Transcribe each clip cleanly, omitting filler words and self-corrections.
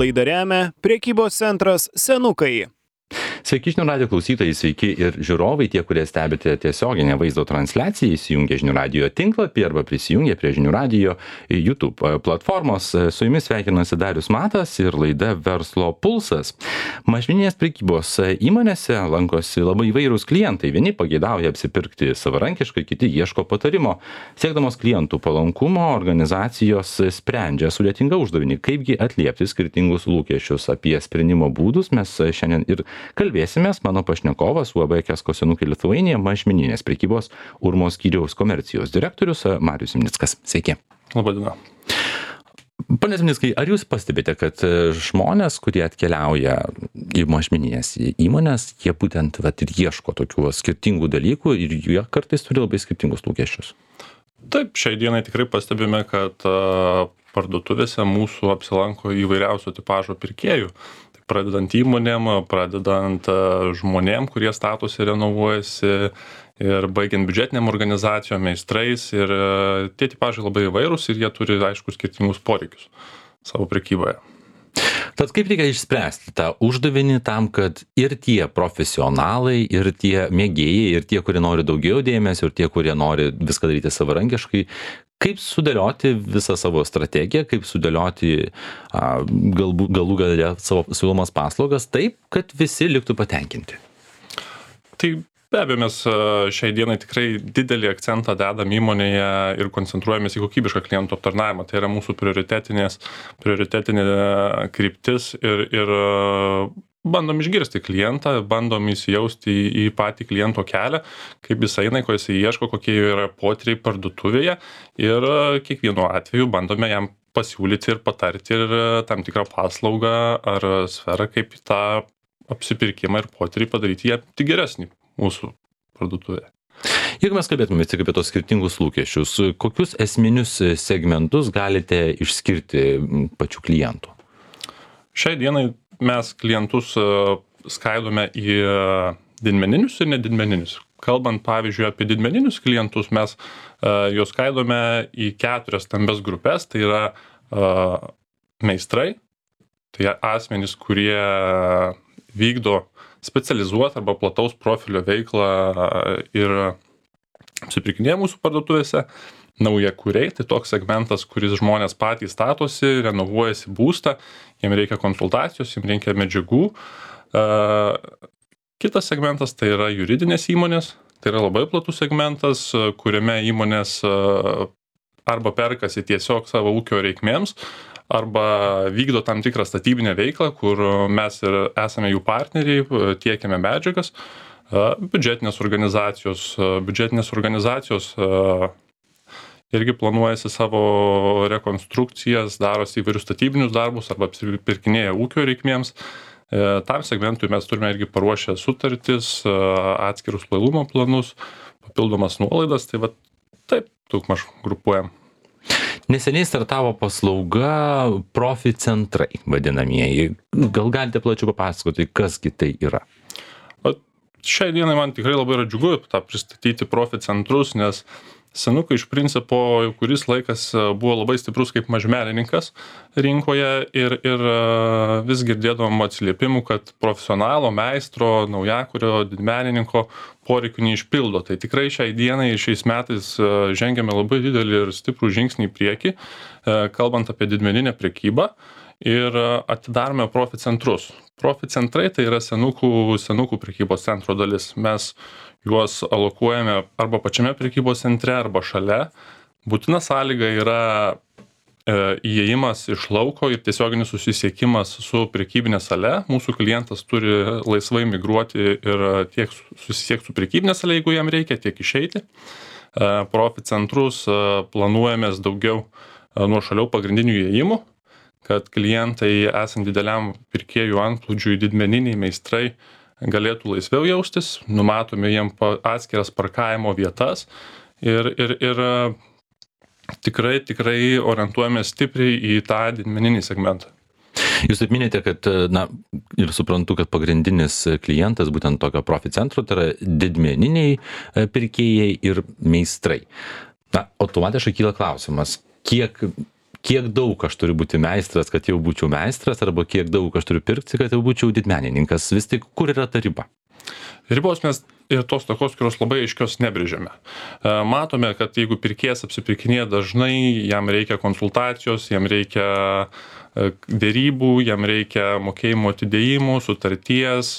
Laidą remia prekybos centras Senukai. Sveiki žinių radijo klausytojai, sveiki ir žiūrovai, tie, kurie stebite tiesioginę vaizdo transliaciją, įsijungia žinių radijo tinklapį arba prisijungia prie žinių radijo YouTube platformos. Su jumis sveikinasi Darius Matas ir laida Verslo pulsas. Mažmeninės prekybos įmonėse lankosi labai įvairūs klientai. Vieni pageidauja apsipirkti savarankiškai, kiti ieško patarimo. Siekdamos klientų palankumo, organizacijos sprendžia sudėtingą uždavinį, kaipgi atliepti skirtingus lūkesčius. Apie sprendimo būdus mes šiandien ir kalbėsimės. Mano pašnekovas UAB Kesko Senukai Lithuania mažmeninės prekybos Urmos skyriaus komercijos direktorius Marius Zimnickas. Sveiki. Labadiena. Pane Zimnickai, ar jūs pastebite, kad žmonės, kurie atkeliauja į mažmeninės įmonės, jie būtent ir ieško tokių skirtingų dalykų ir jie kartais turi labai skirtingus lūkesčius? Taip, šiai dienai tikrai pastebime, kad parduotuvėse mūsų apsilanko įvairiausio tipažo pirkėjų. Pradedant įmonėm, pradedant žmonėm, kurie statosi, renovuojasi ir baigiant biudžetiniam organizacijom, meistrais. Ir tie tipažai labai įvairūs ir jie turi, aišku, skirtingus poreikius savo prekyboje. Tad kaip reikia išspręsti tą uždavinį tam, kad ir tie profesionalai, ir tie mėgėjai, ir tie, kurie nori daugiau dėmesio, ir tie, kurie nori viską daryti savarankiškai, kaip sudėlioti visą savo strategiją, kaip sudėlioti galų gale savo siūlomas paslaugas taip, kad visi liktų patenkinti? Tai be abejo, mes šiai dienai tikrai didelį akcentą dedam įmonėje ir koncentruojamės į kokybišką klientų aptarnavimą. Tai yra mūsų prioritetinė kryptis ir bandom išgirsti klientą, bandom įsijausti į patį kliento kelią, kaip jis eina, ko jis ieško, kokie yra potyriai parduotuvėje ir kiekvienu atveju bandome jam pasiūlyti ir patarti ir tam tikrą paslaugą ar sferą, kaip tą apsipirkimą ir potyrį padaryti ją tik geresnį mūsų parduotuvėje. Jeigu mes kalbėtume tik apie tos skirtingus lūkesčius, kokius esminius segmentus galite išskirti pačių klientų? Šiai dienai mes klientus skaidome į didmeninius ir nedidmeninius. Kalbant, pavyzdžiui, apie didmeninius klientus, mes juos skaidome į 4 stambias grupės. Tai yra meistrai, tai asmenys, kurie vykdo specializuotą arba plataus profilio veiklą ir apsipirkinėja mūsų parduotuvėse. Naujakuriai, tai toks segmentas, kuris žmonės patys statosi, renovuojasi būstą, jiem reikia konsultacijos, jiem reikia medžiagų. Kitas segmentas tai yra juridinės įmonės, tai yra labai platus segmentas, kuriame įmonės arba perkasi tiesiog savo ūkio reikmėms, arba vykdo tam tikrą statybinę veiklą, kur mes ir esame jų partneriai, tiekiame medžiagas. Biudžetinės organizacijos irgi planuojasi savo rekonstrukcijas, darosi įvairius statybinius darbus arba apsipirkinėja ūkio reikmėms. Tam segmentui mes turime irgi paruošę sutartis, atskirus lojalumo planus, papildomas nuolaidas, tai taip, daugmaž grupuojam. Neseniai startavo paslauga profi centrai vadinamieji. Gal galite plačiau papasakoti, kasgi tai yra? Šiai dienai man tikrai labai yra džiugu tą pristatyti profi centrus, nes Senukai iš principo kuris laikas buvo labai stiprus kaip mažmenininkas rinkoje ir vis girdėdavom atsiliepimų, kad profesionalo, meistro, naujakurio, didmenininko poreikių neišpildo. Tai tikrai šiai dienai ir šiais metais žengiame labai didelį ir stiprų žingsnį į priekį, kalbant apie didmeninę prekybą ir atidarome profi centrus. Profi centrai tai yra senukų prekybos centro dalis. Mes juos alokuojame arba pačiame prekybos centre, arba šalia. Būtina sąlyga yra įėjimas iš lauko ir tiesioginis susisiekimas su prekybinė sale. Mūsų klientas turi laisvai migruoti ir tiek susisiekti su prekybinė sale, jeigu jam reikia, tiek išeiti. Profi centrus planuojamės daugiau nuošaliau pagrindinių įėjimų, kad klientai esant dideliam pirkėjų antplūdžiui, didmeniniai meistrai galėtų laisviau jaustis, numatome jiem atskiras parkavimo vietas ir tikrai orientuojame stipriai į tą didmeninį segmentą. Jūs taip minėjote, kad, ir suprantu, kad pagrindinis klientas būtent tokio profi centro, tai yra didmeniniai pirkėjai ir meistrai. Automatiškai kyla klausimas, kiek kiek daug aš turiu būti meistras, kad jau būčiau meistras, arba kiek daug aš turiu pirkti, kad jau būčiau didmenininkas. Vis tik, kur yra ta riba? Ribos mes ir tos tokios, kurios labai aiškios nebrėžiame. Matome, kad jeigu pirkėjas apsipirkinėja dažnai, jam reikia konsultacijos, jam reikia dėrybų, jam reikia mokėjimo atidėjimų, sutarties.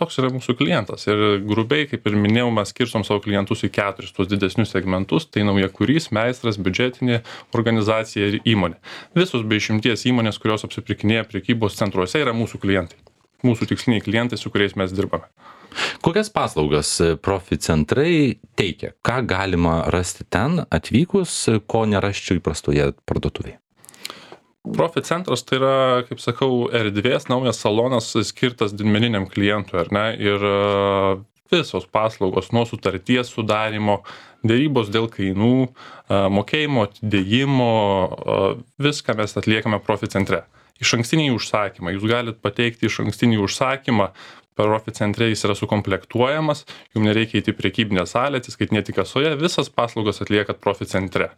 Toks yra mūsų klientas. Ir grubiai, kaip ir minėjau, mes skirstom savo klientus į 4 tuos didesnius segmentus. Tai naujakurys, meistras, biudžetinė organizacija ir įmonė. Visos be išimties įmonės, kurios apsipirkinėja prekybos centruose, yra mūsų klientai. Mūsų tiksliniai klientai, su kuriais mes dirbame. Kokias paslaugas Profi-centrai teikia? Ką galima rasti ten atvykus, ko nerasčiau įprastoje parduotuvėje? Profi-centras tai yra, kaip sakau, erdvės, naujas salonas skirtas didmeniniam klientui, ar ne? Ir visos paslaugos nuo sutarties sudarimo, dėrybos dėl kainų, mokėjimo atidėjimo, viską mes atliekame Profi-centre. Išankstiniai užsakymai. Jūs galite pateikti išankstinį užsakymą, Profi-centre jis yra sukomplektuojamas, jums nereikia įti prekybinę salę, atsiskaitinėti kasoje, visas paslaugas atliekat Profi-centre.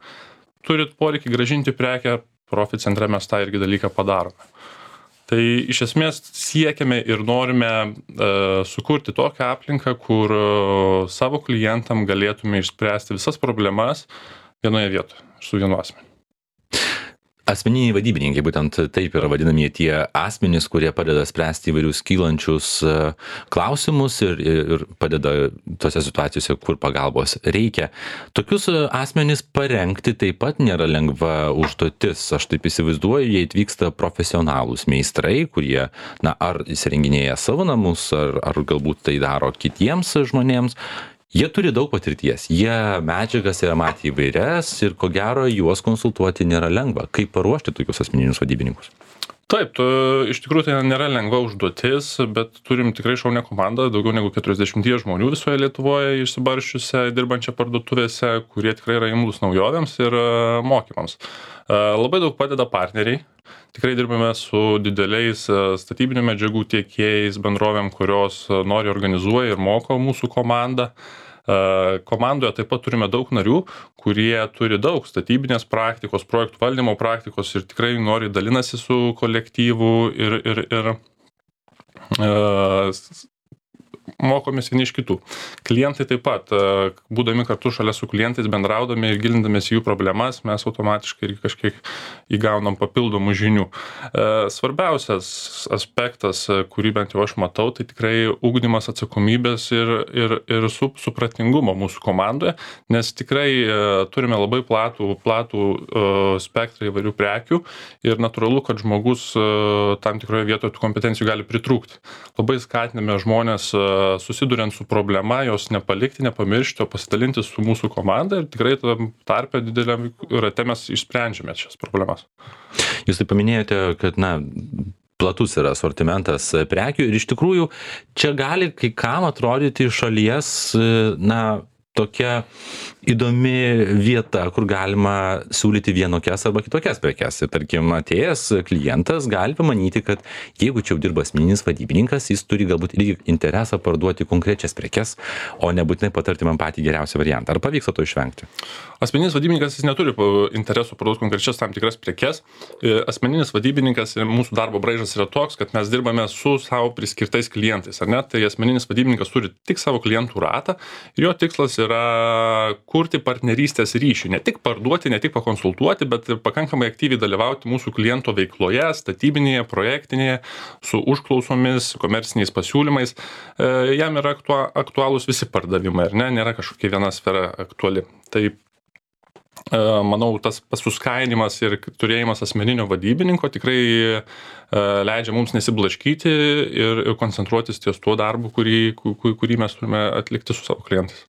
Turit poreikį grąžinti prekę, Profi-centre mes tą irgi dalyką padarome. Tai iš esmės siekiame ir norime sukurti tokią aplinką, kur savo klientam galėtume išspręsti visas problemas vienoje vietoje, su vienu asmeniu. Asmeniniai vadybininkai, būtent taip yra vadinami tie asmenys, kurie padeda spręsti įvairius kylančius klausimus ir padeda tose situacijose, kur pagalbos reikia. Tokius asmenys parengti taip pat nėra lengva užduotis. Aš taip įsivaizduoju, jie atvyksta profesionalūs meistrai, kurie, ar įsirenginėja savo namus, ar galbūt tai daro kitiems žmonėms. Jie turi daug patirties, jie medžiagas yra matę įvairias ir ko gero juos konsultuoti nėra lengva. Kaip paruošti tokius asmeninius vadybininkus? Taip, iš tikrųjų tai nėra lengva užduotis, bet turim tikrai šaunią komandą, daugiau negu 40 žmonių visoje Lietuvoje išsibarsčiusią, dirbančią parduotuvėse, kurie tikrai yra imlūs naujovėms ir mokymams. Labai daug padeda partneriai. Tikrai dirbame su dideliais statybinių medžiagų tiekėjais, bendrovėm, kurios nori organizuoja ir moko mūsų komandą. Komandoje taip pat turime daug narių, kurie turi daug statybinės praktikos, projektų valdymo praktikos ir tikrai nori dalinasi su kolektyvu ir mokomės vieni iš kitų. Klientai taip pat, būdami kartu šalia su klientais, bendraudami ir gilindamės jų problemas, mes automatiškai kažkiek įgaunam papildomų žinių. Svarbiausias aspektas, kurį bent jau aš matau, tai tikrai ugdymas atsakomybės ir supratingumo mūsų komandoje, nes tikrai turime labai platų spektrą įvairių prekių ir natūralu, kad žmogus tam tikroje vietoje tų kompetencijų gali pritrūkti. Labai skatiname žmonės susiduriant su problema, jos nepalikti, nepamiršti, o pasidalinti su mūsų komanda ir tikrai tarpe dideliam rate mes išsprendžiame šias problemas. Jūs tai paminėjote, kad platus yra asortimentas prekių ir iš tikrųjų čia gali kai kam atrodyti iš šalies tokia įdomi vieta, kur galima siūlyti vienokias arba kitokias prekes. Ir tarkim, atėjęs klientas gali pamanyti, kad jeigu čia jau dirba asmeninis vadybininkas, jis turi galbūt irgi interesą parduoti konkrečias prekes, o nebūtinai patarti man patį geriausią variantą. Ar pavyksta to išvengti? Asmeninis vadybininkas jis neturi interesų parduoti konkrečias tam tikras prekes. Asmeninis vadybininkas ir mūsų darbo braižas yra toks, kad mes dirbame su savo priskirtais klientais, ar ne? Tai asmeninis vadybininkas turi tik savo klientų ratą ir jo tikslas yra kurti partnerystės ryšį, ne tik parduoti, ne tik pakonsultuoti, bet ir pakankamai aktyviai dalyvauti mūsų kliento veikloje, statybinėje, projektinėje, su užklausomis, komerciniais pasiūlymais. Jam yra aktualūs visi pardavimai, ar ne? Nėra kažkokia viena sfera aktuali. Tai manau, tas suskainimas ir turėjimas asmeninio vadybininko tikrai leidžia mums nesiblaškyti ir koncentruotis ties tuo darbu, kurį mes turime atlikti su savo klientais.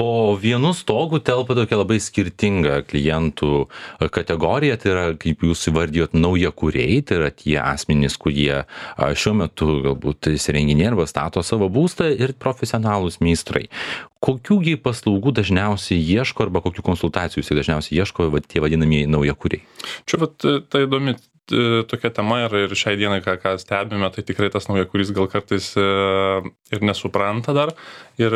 Po vienu stogu telpa tokia labai skirtinga klientų kategorija, tai yra, kaip jūs įvardijot, naujakuriai, tai yra tie asmenys, kurie šiuo metu galbūt įsirenginėja arba stato savo būstą ir profesionalūs meistrai. Kokiųgi paslaugų dažniausiai ieško arba kokių konsultacijų dažniausiai ieško tie vadinamieji naujakuriai? Čia tai įdomi tokia tema ir šiai dienai, ką stebime, tai tikrai tas naujakuris gal kartais ir nesupranta dar ir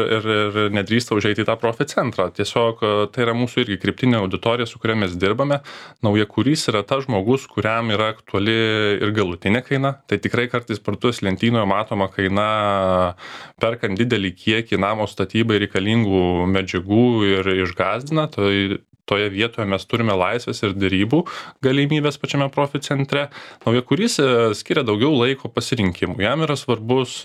nedrįsta užeiti į tą profit centrą. Tiesiog tai yra mūsų irgi kryptinė auditorija, su kuria mes dirbame. Naujakuris yra tas žmogus, kuriam yra aktuali ir galutinė kaina. Tai tikrai kartais parduotuvės lentynoje matoma kaina, perkant didelį kiekį namo statybai reikalingų medžiagų ir išgąsdina. Toje vietoje mes turime laisvės ir derybų galimybės pačiame profit centre. Naujakuris skiria daugiau laiko pasirinkimų. Jam yra svarbus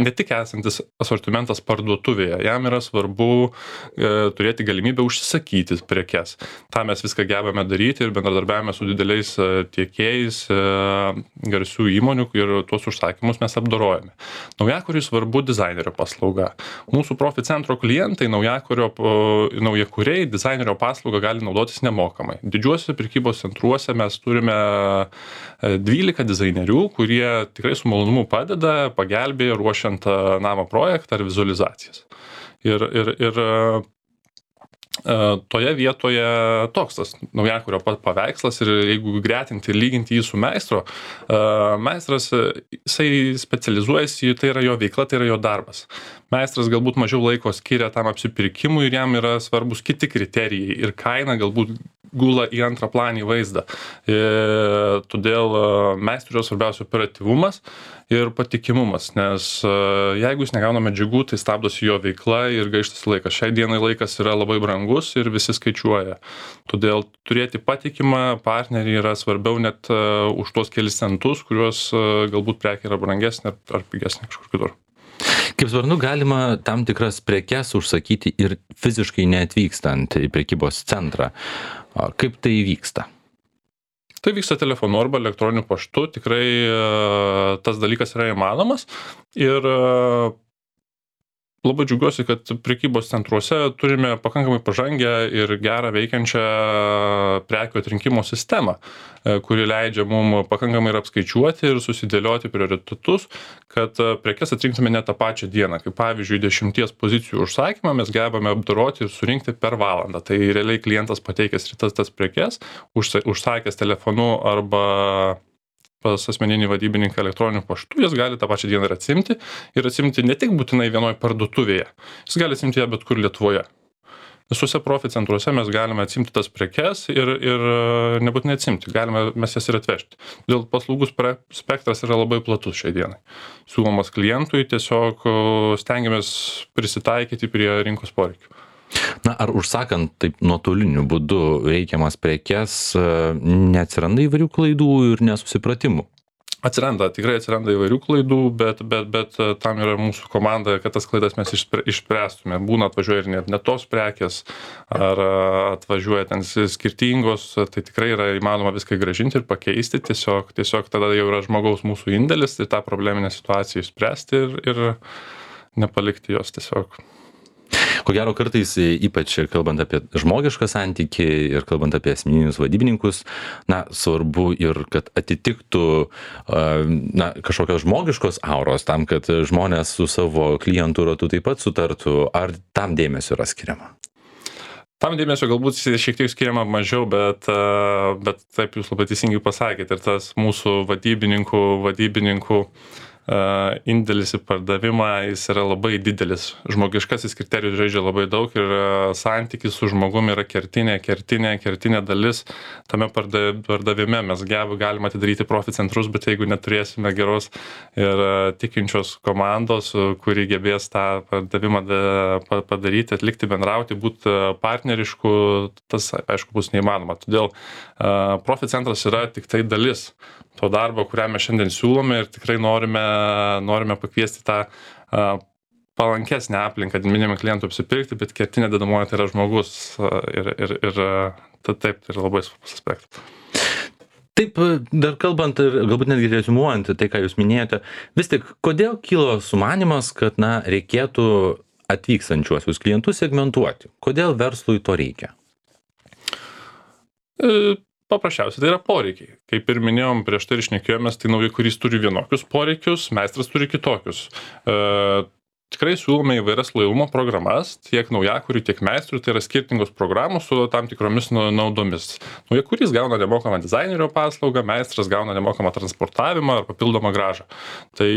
ne tik esantis asortimentas parduotuvėje, jam yra svarbu turėti galimybę užsisakyti prekes. Ta mes viską gebame daryti ir bendradarbiavame su dideliais tiekėjais garsių įmonių ir tuos užsakymus mes apdorojame. Naujakuriui svarbu dizainerio paslauga. Mūsų profit centro klientai naujakuriai dizainerio paslaugą gali naudotis nemokamai. Didžiuosiuose prekybos centruose mes turime 12 dizainerių, kurie tikrai su malonumu padeda, pagelbėja ruošiant namo projektą ar vizualizacijas. Ir toje vietoje toks tas naujakurio paveikslas ir jeigu gretinti ir lyginti jį su meistro, meistras, jisai specializuojasi, tai yra jo veikla, tai yra jo darbas. Meistras galbūt mažiau laiko skiria tam apsipirkimui ir jam yra svarbus kiti kriterijai ir kaina galbūt gula į antrą planį vaizdą. Todėl meistrui yra svarbiausia operatyvumas ir patikimumas, nes jeigu jis negauna medžiagų, tai stabdosi jo veikla ir gaištas laikas. Šiai dienai laikas yra labai brangus ir visi skaičiuoja. Todėl turėti patikimą partnerį yra svarbiau net už tuos kelis centus, kuriuos galbūt prekė yra brangesnė ar pigesnė kažkur kitur. Kaip suprantu, galima tam tikras prekes užsakyti ir fiziškai neatvykstant į prekybos centrą. Kaip tai vyksta? Tai vyksta telefonu arba elektroniniu paštu. Tikrai tas dalykas yra įmanomas. Ir labai džiaugiuosi, kad prekybos centruose turime pakankamai pažangę ir gerą veikiančią prekių atrinkimo sistemą, kuri leidžia mums pakankamai ir apskaičiuoti ir susidėlioti prioritetus, kad prekes atrinktume ne tą pačią dieną. Kaip pavyzdžiui, 10 pozicijų užsakymą mes gebame apdoroti ir surinkti per valandą. Tai realiai klientas pateikęs tas prekes, užsakęs telefonu arba pas asmeninį vadybininką elektroniniu paštu, jis gali tą pačią dieną ir atsimti ne tik būtinai vienoj parduotuvėje, jis gali atsimti ją bet kur Lietuvoje. Visuose profit centruose mes galime atsimti tas prekes ir nebūtinai atsimti, galime mes jas ir atvežti. Dėl paslaugų spektras yra labai platus šiai dienai. Siūlomas klientui, tiesiog stengiamės prisitaikyti prie rinkos poreikių. Na, ar užsakant taip nuotoliniu būdu reikiamas prekes, neatsiranda įvairių klaidų ir nesusipratimų? Tikrai atsiranda įvairių klaidų, bet tam yra mūsų komanda, kad tas klaidas mes išspręstume. Būna atvažiuoja ir ne tos prekės, ar atvažiuoja ten skirtingos, tai tikrai yra įmanoma viską grąžinti ir pakeisti. Tiesiog tada jau yra žmogaus mūsų indėlis ir tą probleminę situaciją išspręsti ir nepalikti jos tiesiog. Ko gero kartais, ypač kalbant apie žmogišką santykį ir kalbant apie asmeninius vadybininkus, svarbu ir kad atitiktų kažkokios žmogiškos auros tam, kad žmonės su savo klientų ratu taip pat sutartų, ar tam dėmesio yra skiriama? Tam dėmesio galbūt šiek tiek skiriama mažiau, bet taip jūs labai teisingai pasakėte ir tas mūsų vadybininkų indėlis į pardavimą, jis yra labai didelis. Žmogiškasis kriterijus žaidžia labai daug ir santykis su žmogumi yra kertinė dalis tame pardavime. Mes galime atidaryti profit centrus, bet jeigu neturėsime geros ir tikinčios komandos, kuri gebės tą pardavimą padaryti, atlikti, bendrauti, būti partnerišku, tas aišku bus neįmanoma. Todėl profit centras yra tik tai dalis to darbo, kurią mes šiandien siūlome ir tikrai norime pakviesti tą palankesnę aplinką minimum klientų apsipirkti, bet kertinė dedamoji tai yra žmogus ir taip, tai yra labai svarbus aspektas. Taip, dar kalbant ir galbūt netgi reziumuojant tai, ką jūs minėjote, vis tik, kodėl kilo sumanymas, kad reikėtų atvykstančiuosius klientus segmentuoti? Kodėl verslui to reikia? Paprasčiausiai tai yra poreikiai. Kaip ir minėjom, prieš tai ir šnekėjomės, tai naujakuris turi vienokius poreikius, meistras turi kitokius. tikrai siūlome įvairias lojalumo programas, tiek naujakurių, tiek meistrų, tai yra skirtingos programos su tam tikromis naudomis. Naujakurys gauna nemokamą dizainerio paslaugą, meistras gauna nemokamą transportavimą ar papildomą grąžą. Tai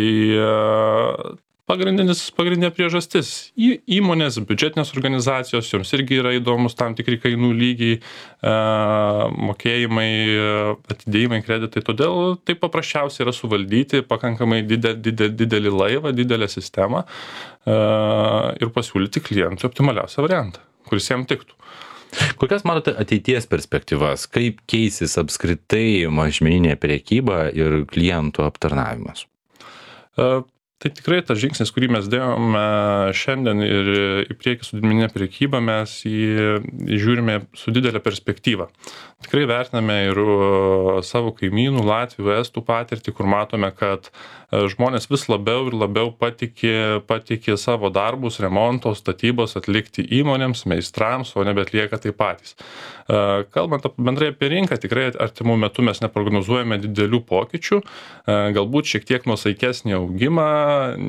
pagrindinė priežastis. Įmonės, biudžetinės organizacijos, joms irgi yra įdomus tam tikri kainų lygiai, mokėjimai, atidėjimai, kreditai. Todėl tai paprasčiausiai yra suvaldyti pakankamai didelį laivą, didelę sistemą ir pasiūlyti klientui optimaliausią variantą, kuris jam tiktų. Kokias matote ateities perspektyvas? Kaip keisis apskritai mažmeninė prekyba ir klientų aptarnavimas? Tai tikrai tas žingsnis, kurį mes dėjome šiandien ir į priekį su didmeninė prekyba, mes jį žiūrime su didelė perspektyva. Tikrai vertiname ir savo kaimynų, Latvių, Estų patirtį, kur matome, kad žmonės vis labiau ir labiau patikė savo darbus, remonto, statybos atlikti įmonėms, meistrams, o nebeatlieka tai patys. Kalbant bendrai apie rinką, tikrai artimų metų mes neprognozuojame didelių pokyčių, galbūt šiek tiek nuosaikesnį augimą,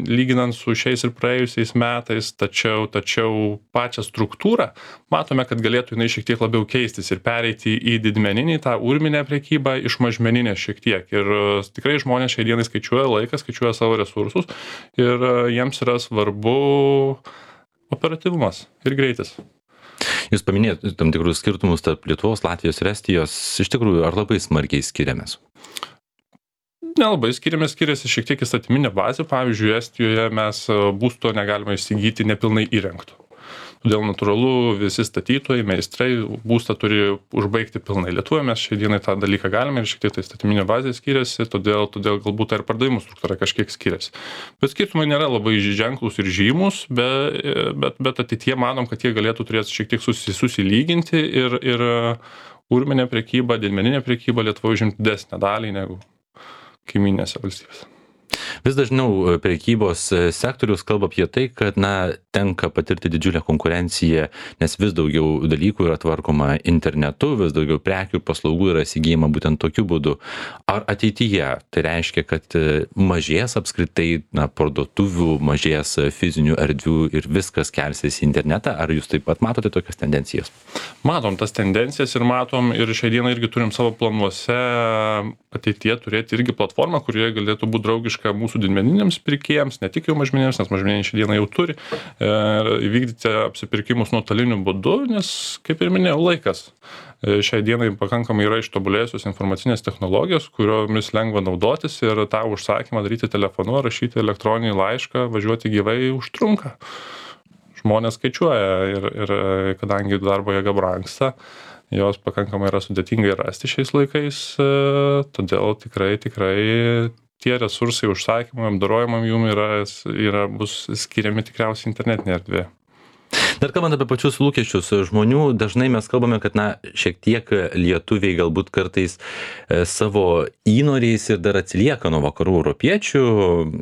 lyginant su šiais ir praėjusiais metais, tačiau pačią struktūrą matome, kad galėtų jinai šiek tiek labiau keistis ir pereiti į didmeninį, tą urminę prekybą iš mažmeninės šiek tiek. Ir tikrai žmonės šiai dienai skaičiuoja laiką, skaičiuoja savo resursus ir jiems yra svarbu operatyvumas ir greitis. Jūs paminėjote tam tikrus skirtumus tarp Lietuvos, Latvijos ir Estijos. Iš tikrųjų, ar labai smarkiai skiriamės? Nelabai skiriasi šiek tiek įstatyminė bazė. Pavyzdžiui, Estijoje mes būsto negalime įsigyti nepilnai įrengto. Todėl natūralu, visi statytojai, meistrai būstą turi užbaigti pilnai. Lietuvoje mes šiai dienai tą dalyką galime ir šiek tiek tai įstatyminė bazė skiriasi, todėl galbūt ir pardavimų struktūra kažkiek skiriasi. Bet skirtumai nėra labai ženklus ir žymus, bet ateityje manom, kad jie galėtų turėti šiek tiek susilyginti ir urminė prekyba, didmeninė prekyba Lietuvoje užimti didesnę dalį negu kaiminėse valstybėse. Vis dažniau prekybos sektorius kalba apie tai, kad tenka patirti didžiulę konkurenciją, nes vis daugiau dalykų yra tvarkoma internetu, vis daugiau prekių ir paslaugų yra įsigyjama būtent tokiu būdu. Ar ateityje tai reiškia, kad mažės apskritai parduotuvių, mažės fizinių erdvių ir viskas kelsis į internetą? Ar jūs taip pat matote tokias tendencijas? Matom tas tendencijas ir matom ir šią dieną irgi turim savo planuose ateityje turėti irgi platformą, kurioje galėtų būti draugiška mūsų didmeniniams pirkėjams, ne tik jau mažmeniniams, nes mažmeniniai šią dieną jau turi įvykdyti apsipirkimus nuotoliniu būdu, nes, kaip ir minėjau, laikas. Šiai dienai pakankamai yra ištobulėjusios informacinės technologijos, kuriomis lengva naudotis ir tą užsakymą daryti telefonu, rašyti elektroninį laišką, važiuoti gyvai užtrunka. Žmonės skaičiuoja ir kadangi darbo jėga brangsta, jos pakankamai yra sudėtingai rasti šiais laikais, todėl tikrai tie resursai užsakymam, apdorojimam jum bus skiriami tikriausiai internetinėje erdvėje. Dar kalbant apie pačius lūkesčius žmonių, dažnai mes kalbame, kad šiek tiek lietuviai galbūt kartais savo įnoriais ir dar atsilieka nuo vakarų europiečių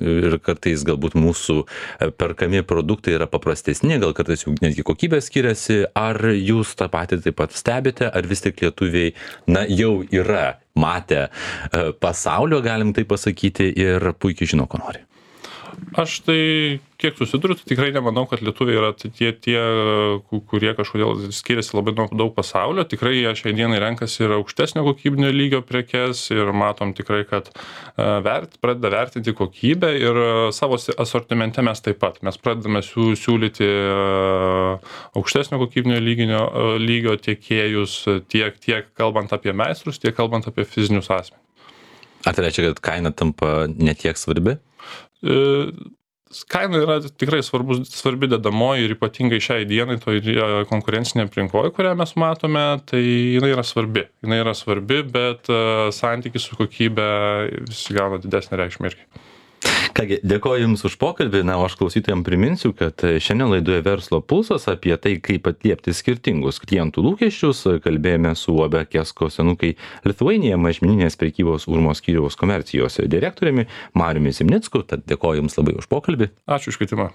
ir kartais galbūt mūsų perkami produktai yra paprastesni, gal kartais jų netgi kokybė skiriasi. Ar jūs tą patį taip pat stebite, ar vis tik lietuviai jau yra matę pasaulio, galim tai pasakyti, ir puikiai žino, ko nori? Aš tai, kiek susiduriu, tai tikrai nemanau, kad lietuviai yra tie, kurie kažkodėl skiriasi labai daug pasaulio. Tikrai jie šiai dienai renkasi ir aukštesnio kokybinio lygio prekes ir matom tikrai, kad pradeda vertinti kokybę ir savo asortimente mes taip pat. Mes pradedame siūlyti aukštesnio kokybinio lygio tiekėjus tiek kalbant apie meistrus, tiek kalbant apie fizinius asmenis. Ar tai reiškia, kad kaina tampa netiek svarbi? Kaina yra tikrai svarbi dedamoji ir ypatingai šiai dienai toje konkurencinėje aplinkoje, kurią mes matome, tai jinai yra svarbi, bet santykis su kokybė vis gauna didesnę reikšmę irgi. Kągi, dėkoju Jums už pokalbį, o aš klausytojams priminsiu, kad šiandien laidoje Verslo pulsas apie tai, kaip atliepti skirtingus klientų lūkesčius, kalbėjome su UAB Kesko Senukai Lithuania mažmeninės prekybos Urmo skyriaus komercijos direktoriumi Mariumi Zimnicku, tad dėkoju Jums labai už pokalbį. Ačiū už kvietimą.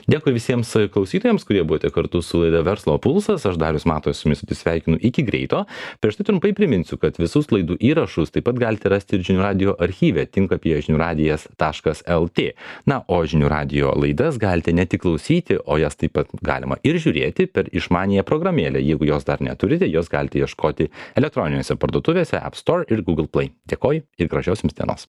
Dėkui visiems klausytojams, kurie buvote kartu su laida Verslo pulsas. Aš Darius Matas su jumis atsisveikinu iki greito. Prieš tai trumpai priminsiu, kad visus laidų įrašus taip pat galite rasti ir Žinių radijo archyve tinklapyje žiniųradijas.lt. lt. Na, o žinių radijo laidas galite ne tik klausyti, o jas taip pat galima ir žiūrėti per išmaniąją programėlę. Jeigu jos dar neturite, jos galite ieškoti elektroninėse parduotuvėse App Store ir Google Play. Dėkoju ir gražios jums dienos.